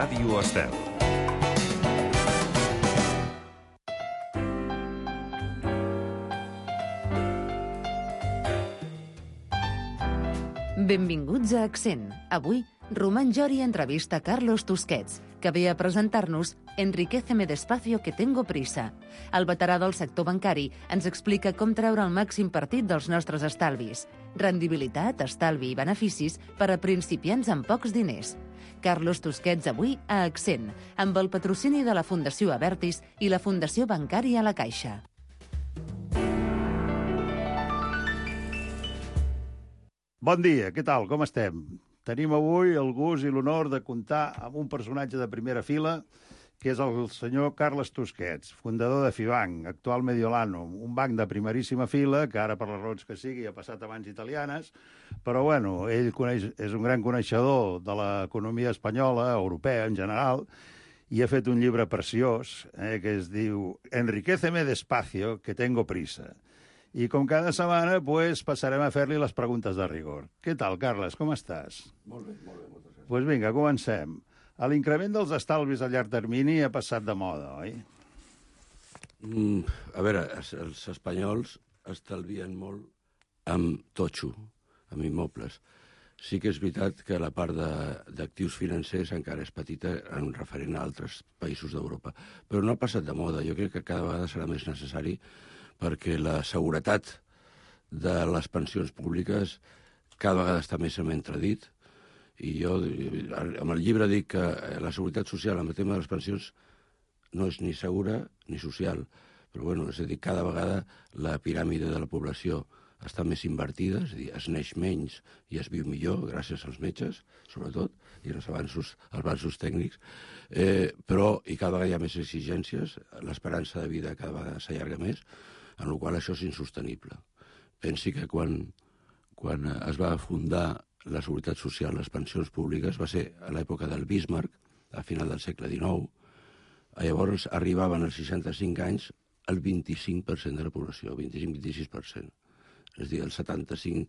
Ràdio Estel. Benvinguts a Accent. Avui, Román Jori entrevista Carlos Tusquets, que ve a presentar-nos Enriquéceme despacio que tengo prisa. El veterà del sector bancari ens explica com treure el màxim partit dels nostres estalvis. Rendibilitat, estalvi i beneficis per a principiants amb pocs diners. Carlos Tusquets avui a Accent, amb el patrocini de la Fundació Abertis i la Fundació Bancària La Caixa. Bon dia, què tal? Com estem? Tenim avui el gust i l'honor de comptar amb un personatge de primera fila, que és el senyor Carles Tusquets, fundador de Fibanc, actual Mediolano, un banc de primeríssima fila, que ara per les raons que sigui ha passat a mans italianes, però bueno, ell és un gran coneixedor de l'economia espanyola, europea en general, i ha fet un llibre preciós, que es diu Enriquéceme despacio, que tengo prisa. I com cada setmana, pues, passarem a fer-li les preguntes de rigor. Què tal, Carles? Com estàs? Molt bé, moltes gràcies. Doncs vinga, comencem. L'increment dels estalvis a llarg termini ha passat de moda, oi? A veure, els espanyols estalvien molt amb totxo, amb immobles. Sí que és veritat que la part d'actius financers encara és petita en referent a altres països d'Europa. Però no ha passat de moda. Jo crec que cada vegada serà més necessari perquè la seguretat de les pensions públiques cada vegada està més en entredit. I jo, amb el llibre, dic que la seguretat social amb el tema de les pensions no és ni segura ni social. Però, bueno, és a dir, cada vegada la piràmide de la població està més invertida, és a dir, es neix menys i es viu millor, gràcies als metges, sobretot, i als avanços tècnics, però i cada vegada hi ha més exigències, l'esperança de vida cada vegada s'allarga més, en la qual això és insostenible. Pensi que quan es va fundar la Seguretat Social, les pensions públiques, va ser a l'època del Bismarck, a final del segle XIX. Llavors arribaven als 65 anys el 25% de la població, 25-26%. És a dir, el 75%,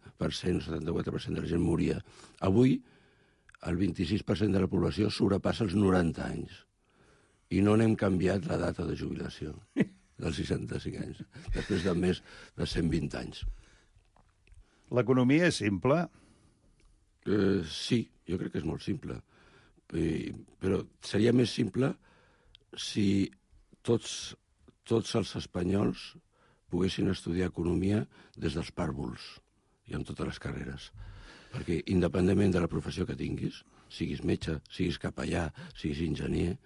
el 74% de la gent moria. Avui, el 26% de la població sobrepassa els 90 anys. I no n'hem canviat la data de jubilació dels 65 anys, després de més de 120 anys. L'economia és simple? Sí, jo crec que és molt simple. Però seria més simple si tots els espanyols poguessin estudiar economia des dels pàrvuls i amb totes les carreres. Perquè independentment de la professió que tinguis, siguis metge, siguis capellà, siguis enginyer,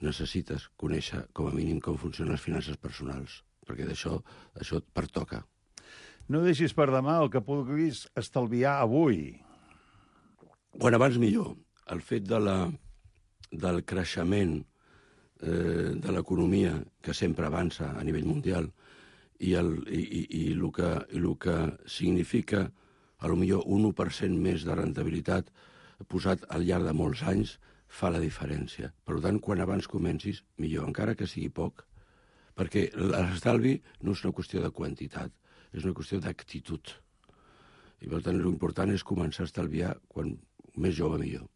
necessites conèixer com a mínim com funcionen les finances personals, perquè d'això et pertoca. No deixis per demà el que puguis estalviar avui. Quan abans millor. El fet del creixement de l'economia, que sempre avança a nivell mundial, i el que significa potser un 1% més de rendibilitat posat al llarg de molts anys fa la diferència. Per tant, quan abans comencis, millor, encara que sigui poc, perquè l'estalvi no és una qüestió de quantitat, és una qüestió d'actitud. I per tant, l'important és començar a estalviar quan més jove millor.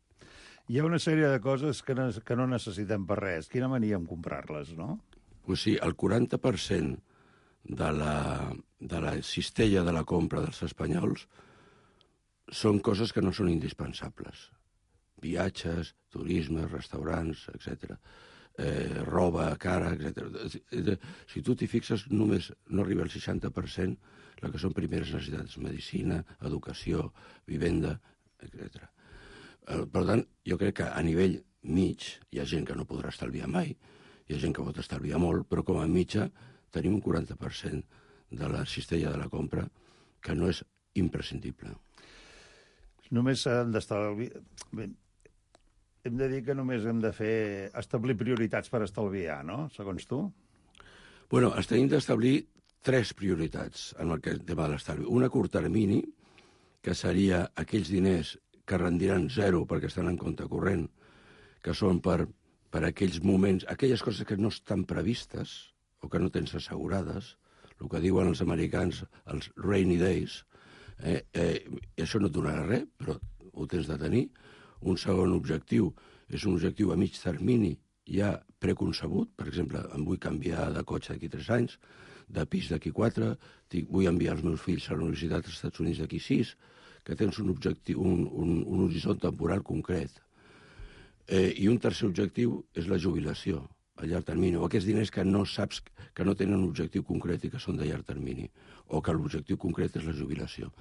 Hi ha una sèrie de coses que no necessitem per res. Quina mania en comprar-les, no? Pues sí, el 40% de la cistella de la compra dels espanyols són coses que no són indispensables. Viatges, turisme, restaurants, etc. Roba cara, etc. Si tu t'hi fixes, només no arriba al 60% el que són primeres necessitats, medicina, educació, vivenda, etc. Per tant, jo crec que a nivell mig hi ha gent que no podrà estalviar mai, hi ha gent que pot estalviar molt, però com a mitja tenim un 40% de la cistella de la compra que no és imprescindible. Només s'han d'estalviar... Hem de dir que només hem de establir prioritats per estalviar, no? Segons tu? Bueno, tenim d'establir 3 prioritats en el tema de l'estalvi. Una a curt termini, que seria aquells diners que rendiran 0 perquè estan en compte corrent, que són per aquells moments, aquelles coses que no estan previstes o que no tens assegurades, el que diuen els americans, els rainy days, i això no et donarà res, però ho tens de tenir. Un segon objectiu és un objectiu a mig termini ja preconcebut. Per exemple, em vull canviar de cotxe d'aquí 3 anys, de pis d'aquí 4, vull enviar els meus fills a la Universitat dels Estats Units d'aquí 6, que tens un objectiu, un horitzont temporal concret. I un tercer objectiu és la jubilació a llarg termini, o aquests diners que no saps que no tenen un objectiu concret i que són de llarg termini, o que l'objectiu concret és la jubilació.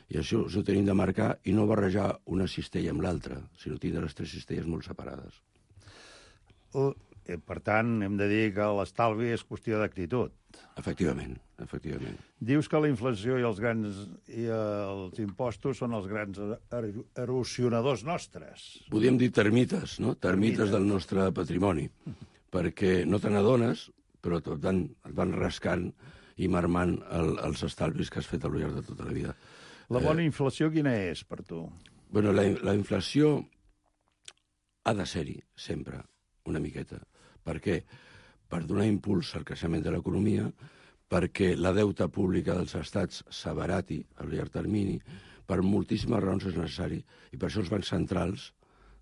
I això ho tenim de marcar i no barrejar una cistella amb l'altra, sinó tindre les 3 cistelles molt separades. Per tant, hem de dir que l'estalvi és qüestió d'actitud. Efectivament, efectivament. Dius que la inflació i els impostos són els grans erosionadors nostres. Podríem dir termites, no? Termites del nostre patrimoni, perquè no te n'adones, però et van rascant i marmant els estalvis que has fet al llarg de tota la vida. La bona inflació quina és per tu? Bueno, la inflació ha de ser-hi, sempre, una miqueta. Per què? Per donar impuls al creixement de l'economia, perquè la deuta pública dels estats s'abarati a llarg termini, per moltíssimes raons és necessari, i per això els bancs centrals,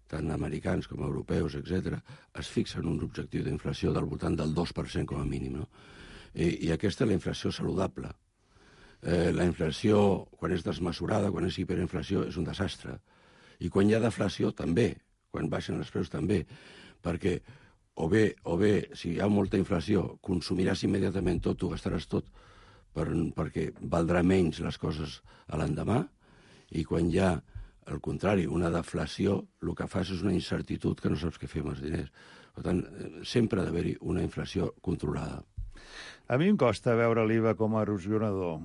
tant americans com europeus, etc., es fixen un objectiu d'inflació del voltant del 2% com a mínim. No? I aquesta és la inflació saludable. La inflació, quan és desmesurada, quan és hiperinflació, és un desastre. I quan hi ha deflació, també. Quan baixen els preus, també. Perquè o bé, si hi ha molta inflació, consumiràs immediatament tot, ho gastaràs tot, perquè valdrà menys les coses a l'endemà, i quan hi ha, al contrari, una deflació, el que fas és una incertitud que no saps què fer amb els diners. Per tant, sempre ha d'haver-hi una inflació controlada. A mi em costa veure l'IVA com a erosionador.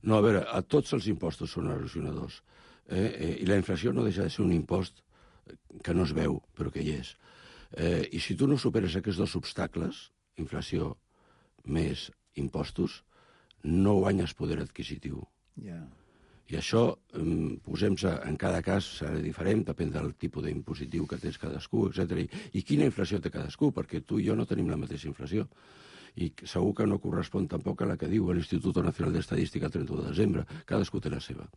No, a veure, a tots els impostos són erosionadors. I la inflació no deixa de ser un impost que no es veu, però que hi és. I si tu no superes aquests 2 obstacles, inflació més impostos, no guanyes poder adquisitiu. Yeah. I això, posem-se, en cada cas serà diferent, depèn del tipus d'impositiu que tens cadascú, etc. I quina inflació té cadascú, perquè tu i jo no tenim la mateixa inflació. I segur que no correspon tampoc a la que diu l'Institut Nacional d'Estadística el 31 de desembre. Cadascú té la seva.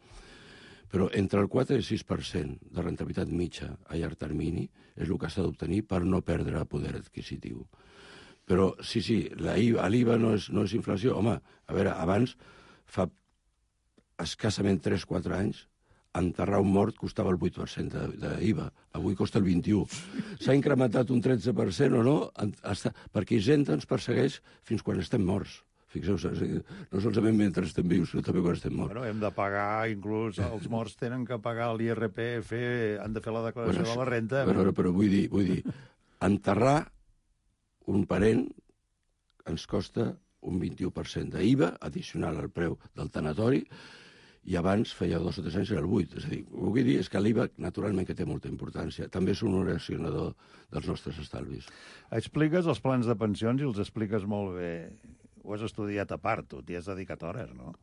Però entre el 4 i el 6% de rentabilitat mitja a llarg termini és el que s'ha d'obtenir per no perdre poder adquisitiu. Però sí, l'IVA no és inflació. Home, a veure, abans, fa escassament 3-4 anys, enterrar un mort costava el 8% d'IVA. Avui costa el 21%. S'ha incrementat un 13% o no? Perquè Hisenda ens persegueix fins quan estem morts. Fixeu-vos, no solament mentre estem vius, sinó també quan estem morts. Bueno, hem de pagar, inclús els morts tenen que pagar l'IRPF, han de fer la declaració de la renta. Però vull dir, enterrar un parent ens costa un 21% d'IVA addicional al preu del tanatori, i abans, feia 2 o 3 anys, era el 8%. És a dir, el que vull dir és que l'IVA, naturalment, que té molta importància. També és un erosionador dels nostres estalvis. Expliques els plans de pensions i els expliques molt bé. Ho has estudiat a part, tu t'hi has dedicat hores, no?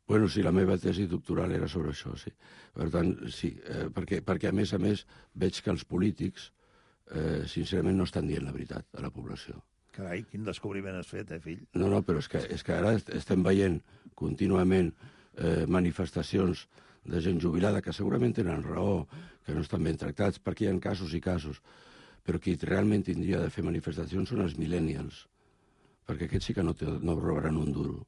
Bueno, sí, la meva tesi doctoral era sobre això, sí. Per tant, sí, perquè a més veig que els polítics, sincerament, no estan dient la veritat a la població. Carai, quin descobriment has fet, fill? No, però és que ara estem veient contínuament manifestacions de gent jubilada que segurament tenen raó, que no estan ben tractats, perquè hi ha casos i casos. Però qui realment tindria de fer manifestacions són els millennials, perquè aquests sí que no robaran un duro,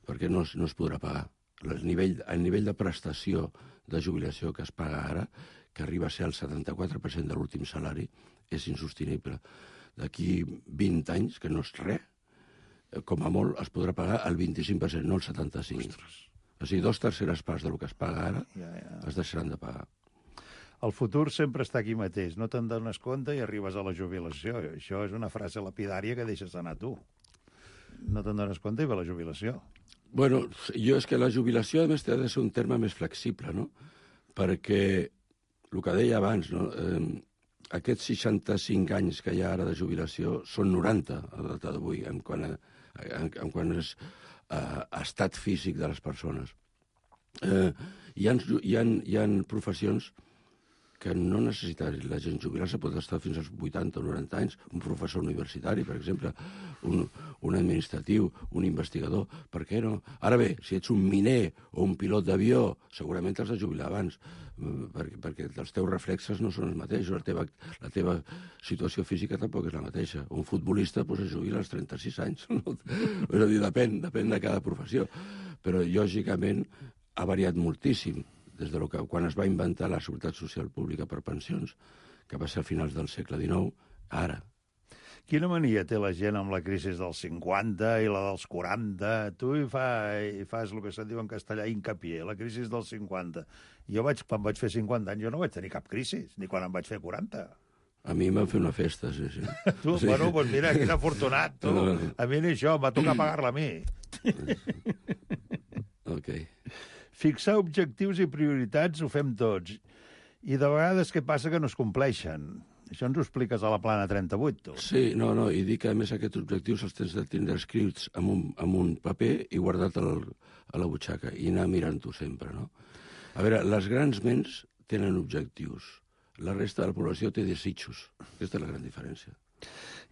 perquè no es podrà pagar. El nivell de prestació de jubilació que es paga ara, que arriba a ser el 74% de l'últim salari, és insostenible. D'aquí 20 anys, que no és res, com a molt es podrà pagar el 25%, no el 75%. Ostres. O sigui, 2/3 parts del que es paga ara es deixaran de pagar. El futur sempre està aquí mateix. No te'n dones compte i arribes a la jubilació. Això és una frase lapidària que deixes anar tu. No te'n dones compte i ve la jubilació. Bueno, jo és que la jubilació, a més, ha de ser un terme més flexible, no? Perquè, el que deia abans, no? Aquests 65 anys que hi ha ara de jubilació són 90 a la data d'avui, en quant és estat físic de les persones. Hi ha professions que no necessita la gent jubilar-se, pot estar fins als 80 o 90 anys, un professor universitari, per exemple, un administratiu, un investigador, per què no? Ara bé, si ets un miner o un pilot d'avió, segurament t'has de jubilar abans, perquè els teus reflexes no són els mateixos, la teva situació física tampoc és la mateixa. Un futbolista es jubila als 36 anys, no? És a dir, depèn de cada professió, però lògicament ha variat moltíssim des de que quan es va inventar la Seguretat Social Pública per pensions, que va ser a finals del segle XIX, ara. Quina mania té la gent amb la crisi dels 50 i la dels 40? Tu hi fas el que se'n diu en castellà hincapié, la crisi dels 50. Jo quan vaig fer 50 anys, jo no vaig tenir cap crisi, ni quan em vaig fer 40. A mi em van fer una festa, sí. Tu, sí. Bueno, doncs mira, quin afortunat, tu. A mi ni això, em va tocar pagar-la a mi. Ok. Fixar objectius i prioritats ho fem tots. I de vegades què passa que no es compleixen? Això ens ho expliques a la plana 38, tu. Sí, no, i dic que a més aquests objectius els tens de tindre escrits amb un paper i guardat a la butxaca i anar mirant-ho sempre, no? A veure, les grans ments tenen objectius. La resta de la població té desitjos. Aquesta és la gran diferència.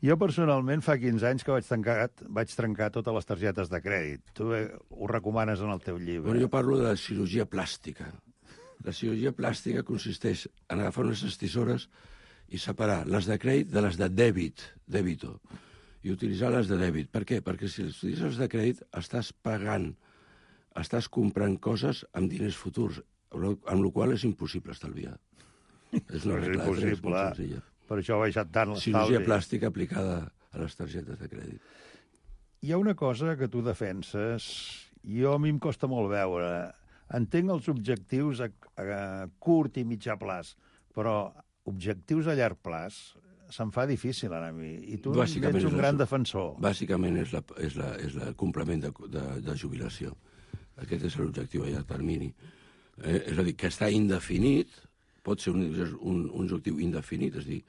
Jo, personalment, fa 15 anys que vaig trencar totes les targetes de crèdit. Tu ho recomanes en el teu llibre. Bueno, jo parlo de la cirurgia plàstica. La cirurgia plàstica consisteix en agafar unes tisores i separar les de crèdit de les de dèbito, i utilitzar les de dèbit. Per què? Perquè si utilitzes les de crèdit estàs pagant, estàs comprant coses amb diners futurs, amb la qual cosa és impossible estalviar. És una regla de tres molt senzilla. Per això ha baixat tant l'estalvi. Cirurgia plàstica aplicada a les targetes de crèdit. Hi ha una cosa que tu defenses, i a mi em costa molt veure. Entenc els objectius a curt i mitjà plaç, però objectius a llarg plaç se'm fa difícil a mi. I tu ets un gran defensor. Bàsicament és el complement de jubilació. Aquest és l'objectiu a llarg termini. És a dir, que està indefinit, pot ser un objectiu indefinit, és a dir,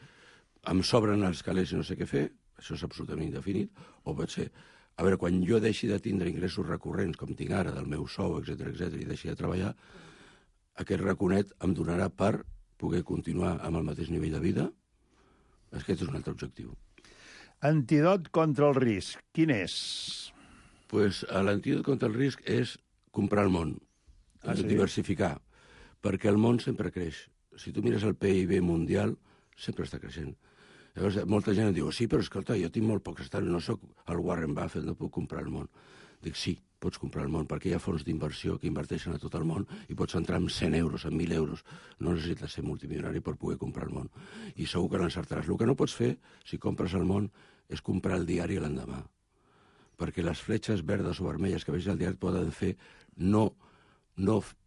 em sobren els calés i no sé què fer, això és absolutament indefinit, o pot ser, a veure, quan jo deixi de tindre ingressos recurrents, com tinc ara, del meu sou, etc i deixi de treballar, aquest raconet em donarà per poder continuar amb el mateix nivell de vida. Aquest és un altre objectiu. Antídot contra el risc, quin és? Pues l'antídot contra el risc és comprar el món, diversificar, perquè el món sempre creix. Si tu mires el PIB mundial, sempre està creixent. Llavors, molta gent em diu, sí, però escolta, jo tinc molt pocs estalvis, no sóc el Warren Buffett, no puc comprar el món. Dic, sí, pots comprar el món, perquè hi ha fons d'inversió que inverteixen a tot el món i pots entrar amb 100 euros, amb 1.000 euros. No necessites ser multimilionari per poder comprar el món. I segur que l'encertaràs. El que no pots fer, si compres el món, és comprar el diari l'endemà. Perquè les fletxes verdes o vermelles que vegis al diari poden fer no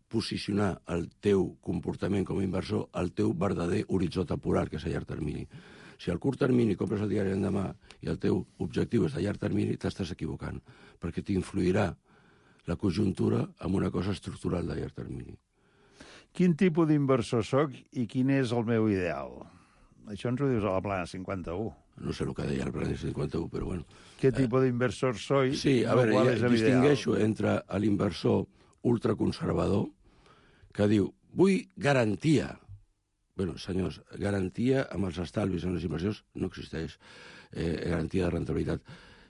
posicionar el teu comportament com a inversor al teu verdader horitzó temporal, que és a llarg termini. Si al curt termini compres el diari l'endemà i el teu objectiu és a llarg termini, t'estàs equivocant, perquè t'influirà la conjuntura amb una cosa estructural de llarg termini. Quin tipus d'inversor soc i quin és el meu ideal? Això ens ho dius a la plana 51. No sé el que deia el plana 51, però bueno. Què tipus d'inversor soy? Sí, a veure, distingueixo entre l'inversor ultraconservador que diu, vull garantia. Bé, senyors, garantia amb els estalvis en les inversions no existeix. Garantia de rentabilitat.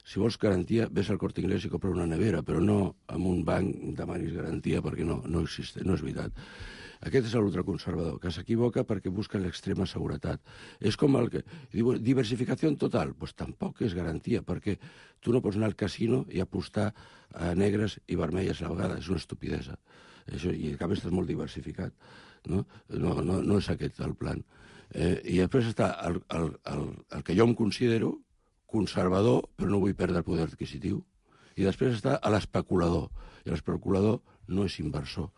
Si vols garantia, ves al Corte Inglés i compra una nevera, però no amb un banc demanis garantia, perquè no existeix, no és veritat. Aquest és l'ultraconservador, que s'equivoca perquè busca l'extrema seguretat. És com el que diu, diversificació total. Doncs tampoc és garantia, perquè tu no pots anar al casino i apostar a negres i vermelles a la vegada. És una estupidesa. Això, i a més estàs molt diversificat. No és aquest el plan. I després està el que jo em considero conservador, però no vull perdre el poder adquisitiu. I després està l'especulador. I l'especulador no és inversor,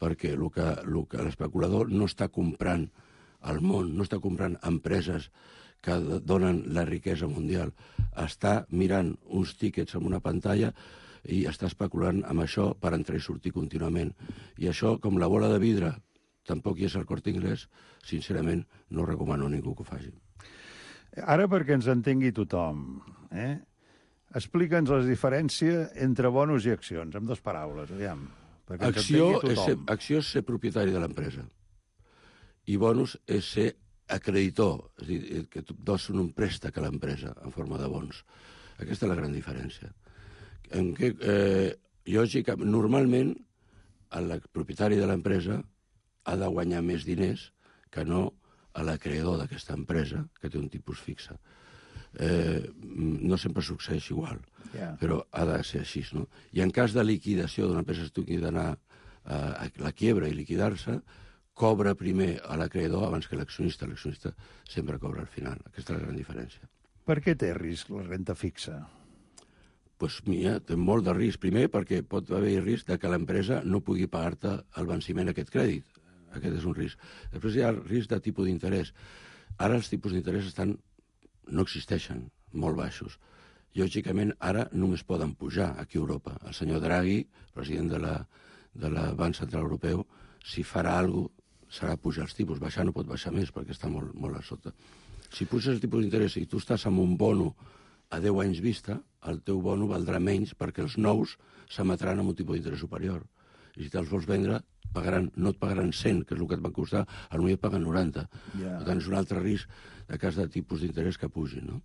perquè l'especulador no està comprant el món, no està comprant empreses que donen la riquesa mundial. Està mirant uns tíquets en una pantalla i està especulant amb això per entrar i sortir contínuament. I això, com la bola de vidre, tampoc hi és al Corte Inglés, sincerament no recomano a ningú que ho faci. Ara, perquè ens entengui tothom, explica'ns la diferència entre bonus i accions, amb 2 paraules, aviam. Acció és ser propietari de l'empresa. I bonus és ser acreditor, és a dir, que tu dones un préstec a l'empresa en forma de bons. Aquesta és la gran diferència. En què, lògicament, normalment, el propietari de l'empresa ha de guanyar més diners que no a l'acreedor d'aquesta empresa, que té un tipus fixe. No sempre succeeix igual, però ha de ser així, no? I en cas de liquidació d'una empresa que tingui d'anar a la quiebra i liquidar-se, cobra primer a l'acreedor abans que l'accionista. L'accionista sempre cobra al final. Aquesta és la gran diferència. Per què té risc la renta fixa? Doncs mira, té molt de risc. Primer, perquè pot haver risc de que l'empresa no pugui pagar-te el venciment d'aquest crèdit. Aquest és un risc. Després hi ha risc de tipus d'interès. Ara els tipus d'interès no existeixen, molt baixos. Lògicament, ara només poden pujar aquí a Europa. El senyor Draghi, president de la Banc Central Europeu, si farà alguna cosa, serà pujar els tipus. Baixar no pot baixar més, perquè està molt, molt a sota. Si puges el tipus d'interès i tu estàs amb un bono a 10 anys vista, el teu bono valdrà menys perquè els nous s'emetran amb un tipus d'interès superior. I si te'ls vols vendre, no et pagaran 100, que és el que et van costar, potser et paguen 90. Per tant, és un altre risc de cas de tipus d'interès que pugin, no?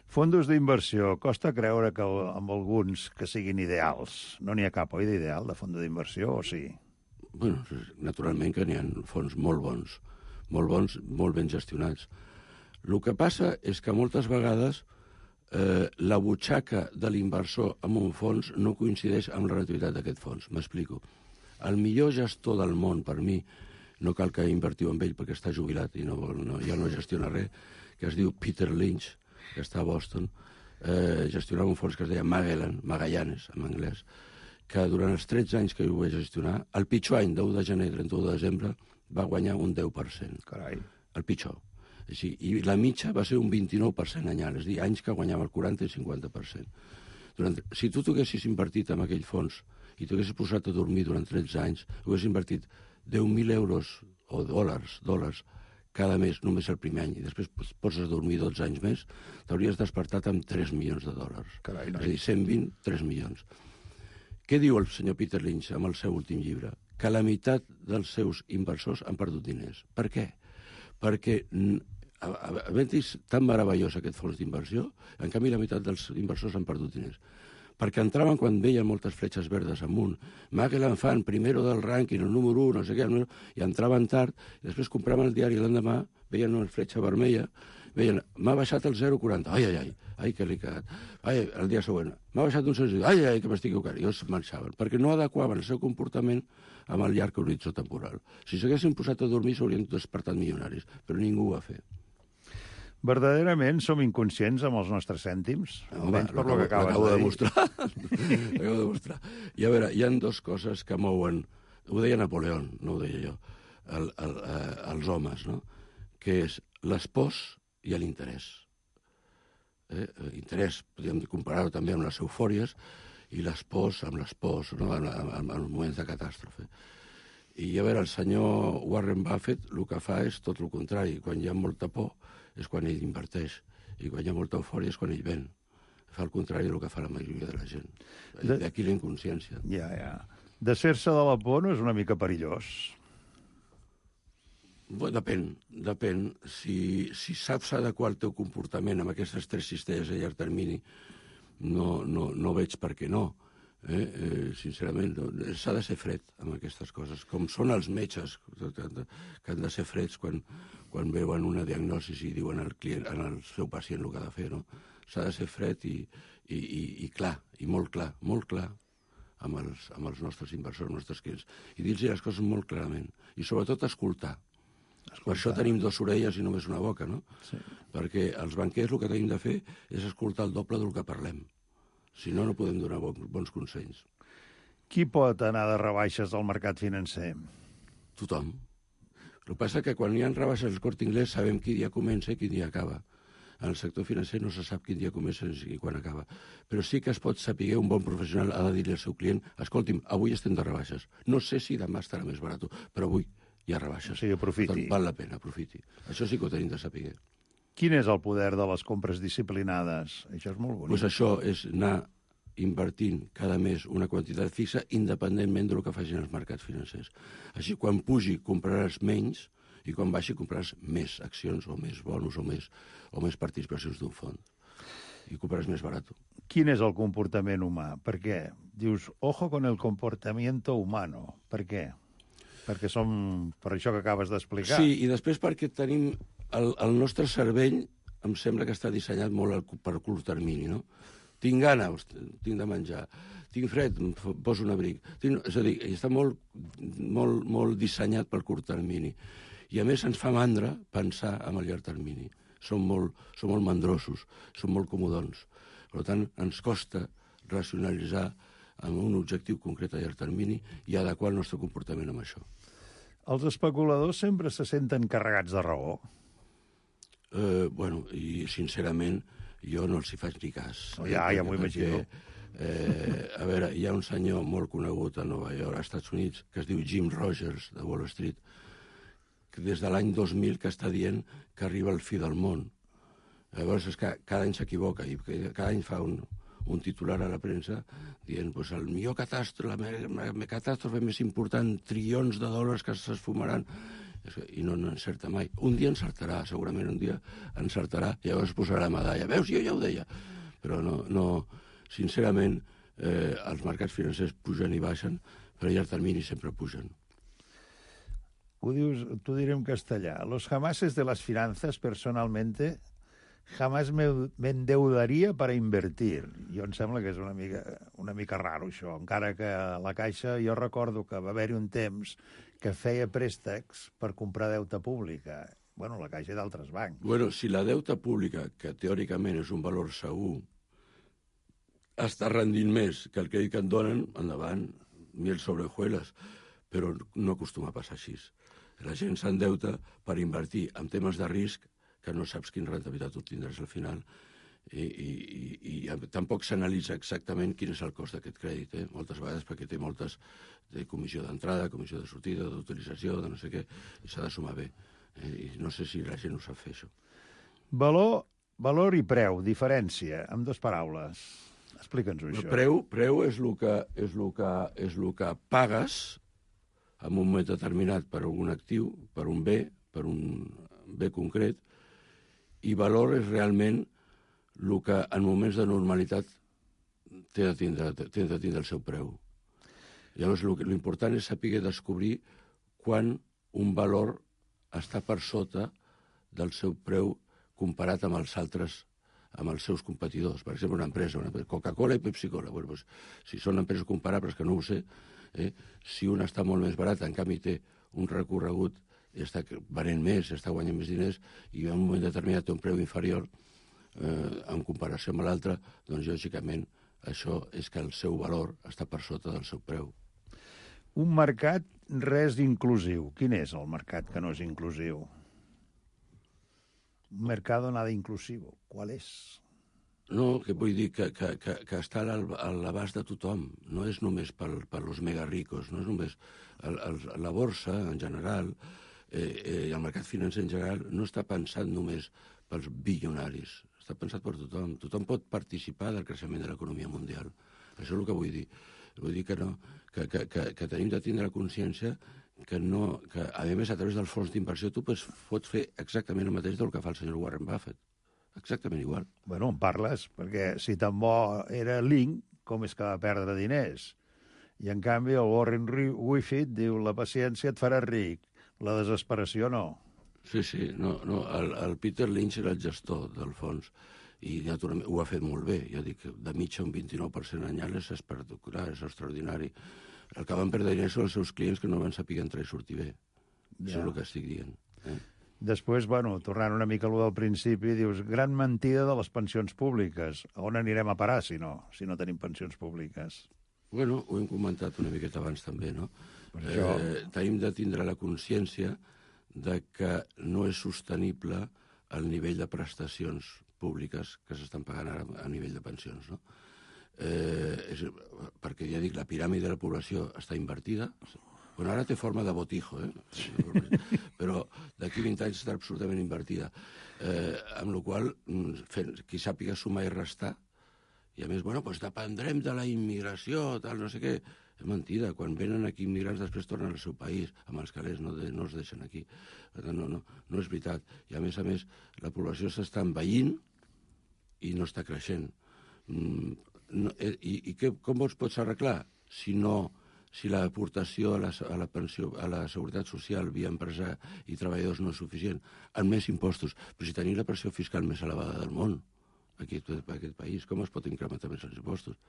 Fondos d'inversió. Costa creure que amb alguns que siguin ideals. No n'hi ha cap, oi, d'ideal, de fons d'inversió, o sí? Bueno, naturalment que n'hi ha fons molt bons, molt ben gestionats. El que passa és que moltes vegades la butxaca de l'inversor en un fons no coincideix amb la rendibilitat d'aquest fons. M'explico. El millor gestor del món, per mi, no cal que invertiu amb ell perquè està jubilat i ja no gestiona res, que es diu Peter Lynch, que està a Boston, gestionava un fons que es deia Magallanes, en anglès, que durant els 13 anys que ho vaig gestionar, el pitjor any, 10 de gener, 31 de desembre, va guanyar un 10%. Carai. El pitjor. Així, i la mitja va ser un 29% anyal, és a dir, anys que guanyava el 40 i 50%. Si tu t'haguessis invertit en aquell fons i t'haguessis posat a dormir durant 13 anys, haguessis invertit 10.000 euros o dòlars cada mes, només el primer any, i després poses a dormir 12 anys més, t'hauries despertat amb 3 milions de dòlars. Carai, és a dir, 120, 3 milions. Què diu el senyor Peter Lynch amb el seu últim llibre? Que la meitat dels seus inversors han perdut diners. Per què? Perquè és tan meravellós aquest fons d'inversió, en canvi la meitat dels inversors han perdut diners. Perquè entraven quan veien moltes fletxes verdes amunt. Magellan fan primero del rànquing, el número 1, no sé què, i entraven tard, i després compraven el diari l'endemà, veien una fletxa vermella, veien, m'ha baixat el 0,40, ai, que l'he cagat. Ai, el dia següent, m'ha baixat un 0,5, ai, que m'estic equivocant. I els marxaven, perquè no adequaven el seu comportament amb el llarg horitzó temporal. Si s'haguessin posat a dormir, s'haurien despertat milionaris, però ningú ho va fer. Verdaderament som inconscients amb els nostres cèntims? Almenys per lo que acabes de dir. L'acabo de demostrar. I a veure, hi ha dues coses que mouen, ho deia Napoleón, no ho deia jo, els homes, no? Que és les pors i l'interès. Interès, podríem comparar-ho també amb les eufòries, i les pors amb les pors, no? en els moments de catàstrofe. I a veure, el senyor Warren Buffett el que fa és tot el contrari. Quan hi ha molta por és quan ell inverteix, i quan hi ha molta eufòria és quan ell ven. Fa el contrari del que fa la majoria de la gent. D'aquí la inconsciència. Ja. Desfer-se de la por no és una mica perillós? Depèn. Si saps adequar el teu comportament amb aquestes tres cistelles a llarg termini, no veig per què no. Sincerament, s'ha de ser fred amb aquestes coses, com són els metges, que han de ser freds quan veuen una diagnosi i diuen al seu pacient el que ha de fer, no? S'ha de ser fred i clar, i molt clar amb els nostres inversors, els nostres clients, i dir-los les coses molt clarament, i sobretot escoltar. Per això tenim dues orelles i només una boca, no? Sí. Perquè els banquers el que tenim de fer és escoltar el doble del que parlem. Si no, no podem donar bons consells. Qui pot anar de rebaixes al mercat financer? Tothom. El que passa és que quan hi ha rebaixes al Corte Inglés sabem quin dia comença i quin dia acaba. En el sector financer no se sap quin dia comença i quan acaba. Però sí que es pot saber, un bon professional ha de dir-li al seu client: escolti'm, avui estem de rebaixes. No sé si demà estarà més barat, però avui hi ha rebaixes. Sí, aprofiti. Val la pena, aprofiti. Això sí que ho tenim de saber. Quin és el poder de les compres disciplinades? Això és molt bonic. Doncs això és anar invertint cada mes una quantitat fixa independentment del que facin els mercats financers. Així, quan pugi, compraràs menys, i quan baixi compraràs més accions o més bonus o més participacions d'un fons. I compraràs més barat. Quin és el comportament humà? Per què? Dius, ojo con el comportamiento humano. Per què? Perquè som per això que acabes d'explicar. Sí, i després perquè tenim... El nostre cervell em sembla que està dissenyat molt per curt termini, no? Tinc gana, tinc de menjar. Tinc fred, em poso un abric. És a dir, està molt dissenyat per curt termini. I a més ens fa mandra pensar en el llarg termini. Som molt mandrosos, som molt comodons. Per tant, ens costa racionalitzar amb un objectiu concret a llarg termini i adequar el nostre comportament amb això. Els especuladors sempre se senten carregats de raó. Bueno, i sincerament jo no els hi faig ni cas. Ja m'ho imagino. A veure, hi ha un senyor molt conegut a Nova York, als Estats Units, que es diu Jim Rogers, de Wall Street, que des de l'any 2000 que està dient que arriba al fi del món. Llavors és que cada any s'equivoca i cada any fa un titular a la premsa dient pues, el millor catàstrofe, la catàstrofe més important, trilions de dòlars que s'esfumaran, i no encerta mai. Un dia encertarà, segurament un dia encertarà, i llavors posarà medalla. Veus, jo ja ho deia. Però no sincerament, els mercats financers pugen i baixen, però a llarg termini sempre pugen. Tú diré en castellà. Los jamases de las finanzas, personalmente, jamás me endeudaria per a invertir. Jo em sembla que és una mica raro, això. Encara que a la Caixa jo recordo que va haver-hi un temps que feia préstecs per comprar deute pública. Bueno, la Caixa i d'altres bancs. Bueno, si la deuta pública, que teòricament és un valor segur, està rendint més que el crèdit que et donen, endavant, miel sobre hojuelas, però no acostuma a passar així. La gent s'endeuta per invertir en temes de risc que no saps quina rentabilitat obtindràs al final i tampoc s'analitza exactament quin és el cost d'aquest crèdit, moltes vegades perquè té moltes de comissió d'entrada, comissió de sortida, d'utilització, de no sé què, i s'ha de sumar bé. I no sé si la gent ho sap fer, això. Valor i preu, diferència, amb dues paraules. Explica'ns-ho, això. Preu és el que pagues en un moment determinat per un actiu, per un bé concret, i valor és realment el que en moments de normalitat té de tindre el seu preu. Llavors, l'important és saber descobrir quan un valor està per sota del seu preu comparat amb els altres, amb els seus competidors. Per exemple, una empresa Coca-Cola i Pepsi-Cola. Bueno, doncs, si són empreses comparables, que no ho sé, si una està molt més barata, en canvi té un recorregut, està venent més, està guanyant més diners, i en un moment determinat té un preu inferior en comparació amb l'altre, doncs lògicament això és que el seu valor està per sota del seu preu. Un mercat res inclusiu. Quin és el mercat que no és inclusiu? Un mercado nada inclusivo. ¿Cuál es? No, que vull dir que està a l'abast de tothom. No és només per los mega ricos, no és només... La borsa, en general, i el mercat financer en general, no està pensat només pels bilionaris. Està pensat per tothom. Tothom pot participar del creixement de l'economia mundial. Això és el que vull dir. Vull dir que no, que tenim de tindre consciència que a més, a través del fons d'inversió, tu pots fer exactament el mateix del que fa el senyor Warren Buffett. Exactament igual. Bueno, en parles, perquè si tan bo era Link, com és que va perdre diners? I en canvi el Warren Buffett diu la paciència et farà ric, la desesperació no. Sí, no, el Peter Lynch era el gestor del fons i naturalment ho ha fet molt bé. Jo dic que de mitja un 29% anyal és espectacular, és extraordinari. El que van perdre diners són els seus clients que no van saber entrar i sortir bé. Això és el que estic dient. Després, tornant una mica a lo del principi, dius, gran mentida de les pensions públiques. A on anirem a parar, si no tenim pensions públiques? Bueno, ho hem comentat una miqueta abans també, no? Per això... Tenim de tindre la consciència de que no és sostenible el nivell de prestacions públiques que s'estan pagant ara a nivell de pensions, no? Perquè ja dic, la piràmide de la població està invertida. Bueno, ara té forma de botijo, però d'aquí 20 anys estarà absolutament invertida. Amb la qual cosa, qui sàpiga sumar i restar, i a més, bueno, doncs dependrem de la immigració, tal, no sé què. És mentida. Quan venen aquí immigrants després tornen al seu país, amb els calés, no els deixen aquí. Per tant, no és veritat. I a més, la població s'està envellint i no està creixent. Com es pots arreglar si l'aportació a la pensió, a la seguretat social via empresa i treballadors no és suficient, amb més impostos? Però si tenim la pressió fiscal més elevada del món, aquí en aquest país, com es pot incrementar més els impostos?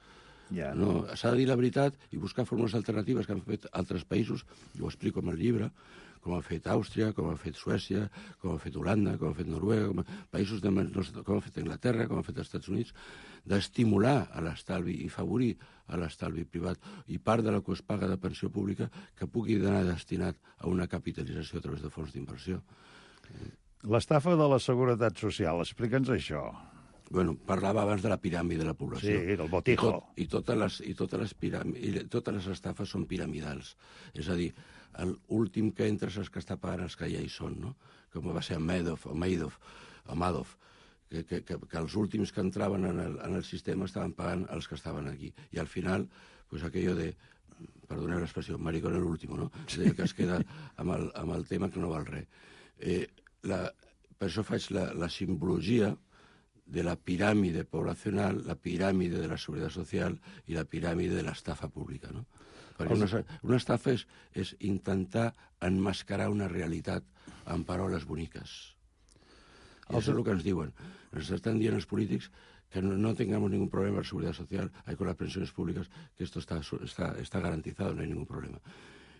Ja. No, s'ha de dir la veritat i buscar fórmules alternatives que han fet altres països, i ho explico en el llibre, com ha fet Àustria, com ha fet Suècia, com ha fet Holanda, com ha fet Noruega, com ha fet Anglaterra, com ha fet els Estats Units, d'estimular a l'estalvi i favorir a l'estalvi privat i part de la que es paga de pensió pública que pugui anar destinat a una capitalització a través de fons d'inversió. L'estafa de la seguretat social, explica'ns això. Bueno, parlava abans de la piràmide de la població. Sí, del botijo. I totes les estafes són piramidals. És a dir, l'últim que entra és el que està pagant els que ja hi són, no? Com va ser Madoff, que els últims que entraven en el sistema estaven pagant els que estaven aquí. I al final, pues aquello de, perdoneu l'expressió, maricón el último, no? Que es queda amb el tema que no val res. Per això faig la simbologia de la piràmide poblacional, la piràmide de la seguretat social i la piràmide de l'estafa pública, no? Perquè una estafa és intentar enmascarar una realitat amb paraules boniques. I això és el que ens diuen. Ens estan dient els polítics que no tengamos ningún problema con la seguridad social, con las pensiones públicas, que esto está garantizado, no hay ningún problema.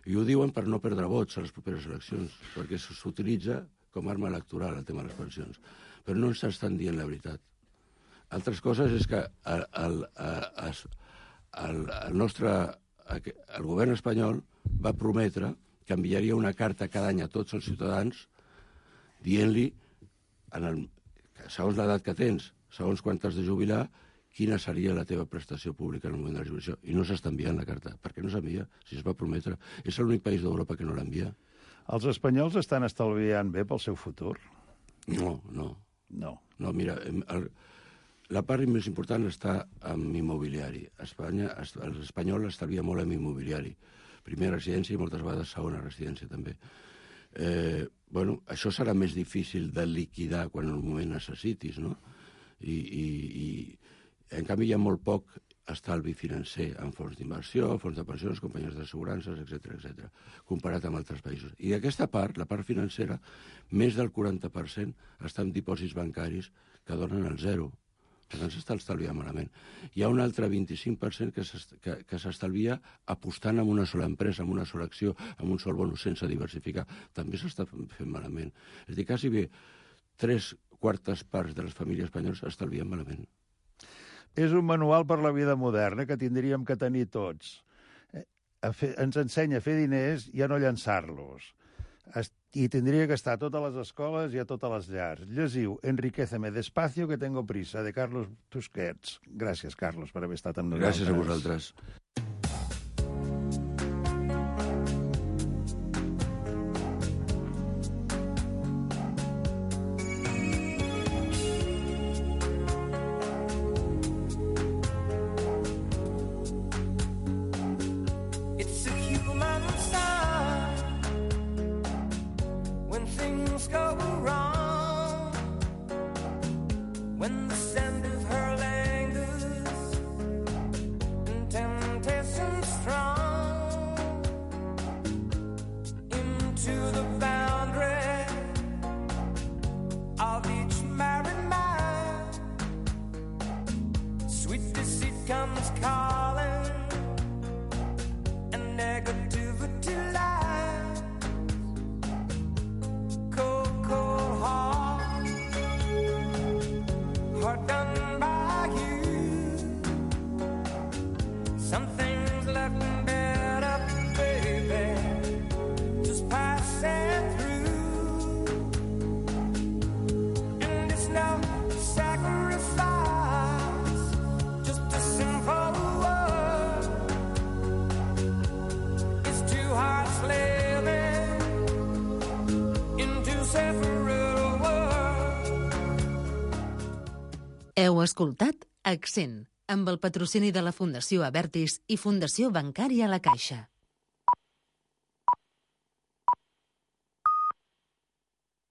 I ho diuen per no perdre vots a les properes eleccions, perquè s'utilitza com a arma electoral el tema de les pensions. Però no ens estan dient la veritat. Altres coses és que el govern espanyol va prometre que enviaria una carta cada any a tots els ciutadans dient-li, segons l'edat que tens, segons quan t'has de jubilar, quina seria la teva prestació pública en el moment de la jubilació. I no s'està enviant la carta. Per què no s'envia? Si es va prometre. És l'únic país d'Europa que no l'envia. Els espanyols estan estalviant bé pel seu futur? No. No, mira, la part més important està en immobiliari. L'espanyol estalvia molt en immobiliari. Primera residència i moltes vegades segona residència també. Això serà més difícil de liquidar quan en un moment necessitis, no? I en canvi hi ha molt poc estalvi financer en fons d'inversió, fons de pensions, companyies d'assegurances, etc., comparat amb altres països. I aquesta part, la part financera, més del 40% està en dipòsits bancaris que donen el zero. Per tant, s'està estalviant malament. Hi ha un altre 25% que s'estalvia apostant en una sola empresa, en una sola acció, en un sol bonus, sense diversificar. També s'està fent malament. És a dir, quasi bé 3/4 parts de les famílies espanyoles estalvien malament. És un manual per la vida moderna que tindríem que tenir tots. Ens ensenya a fer diners i a no llançar-los. I tindria que estar a totes les escoles i a totes les llars. Llegiu Enriquéceme despacio que tengo prisa, de Carlos Tusquets. Gràcies, Carlos, per haver estat amb nosaltres. Gràcies a vosaltres. Heu escoltat Accent, amb el patrocini de la Fundació Abertis i Fundació Bancària La Caixa.